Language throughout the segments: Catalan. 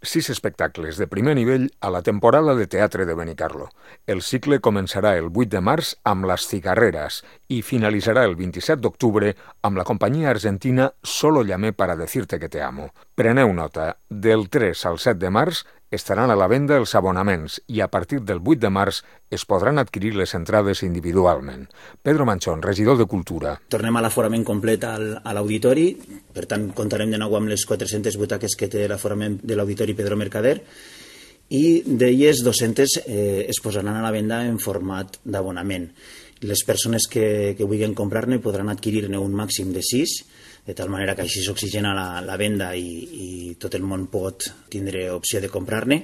6 espectacles de primer nivell a la temporada de teatre de Benicarlo. El cicle començarà el 8 de març amb Les Cigarreras i finalitzarà el 27 d'octubre amb la companyia argentina Solo llamé para decirte que te amo. Preneu nota, del 3 al 7 de març estaran a la venda els abonaments i a partir del 8 de març es podran adquirir les entrades individualment. Pedro Manchón, regidor de Cultura. Tornem a l'aforament complet a l'auditori, per tant comptarem de nou amb les 400 butaques que té l'aforament de l'auditori Pedro Mercader i d'elles 200 es posaran a la venda en format d'abonament. Les persones que vulguin comprar-ne podran adquirir-ne un màxim de 6, de tal manera que així s'oxigena la venda i tot el món pot tindre opció de comprar-ne.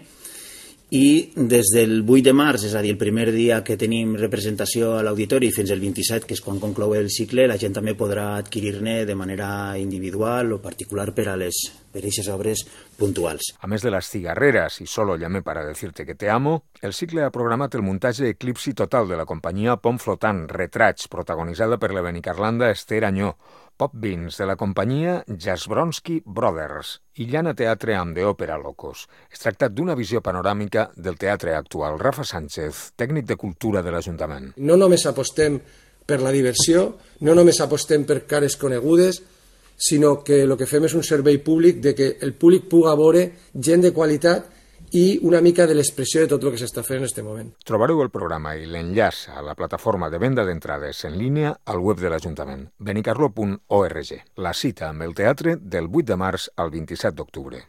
I des del 8 de març, és a dir, el primer dia que tenim representació a l'auditori fins al 27, que és quan conclou el cicle, la gent també podrà adquirir-ne de manera individual o particular per a aquestes obres puntuals. A més de Les Cigarreras i Solo llamé para decirte que te amo, el cicle ha programat el muntatge Eclipsi Total de la companyia Pont Flotant, Retrats, protagonitzada per la benicarlanda Esther Añó, Pop Beans de la companyia Jasbronsky Brothers i Llana Teatre amb de Òpera Locos. Es tracta d'una visió panoràmica del teatre actual. Rafa Sánchez, tècnic de cultura de l'Ajuntament. No només apostem per la diversió, no només apostem per cares conegudes, sinó que el que fem és un servei públic de que el públic puga veure gent de qualitat i una mica de l'expressió de tot el que s'està fent en aquest moment. Trobareu el programa i l'enllaç a la plataforma de venda d'entrades en línia al web de l'Ajuntament, benicarlo.org. La cita amb el teatre del 8 de març al 27 d'octubre.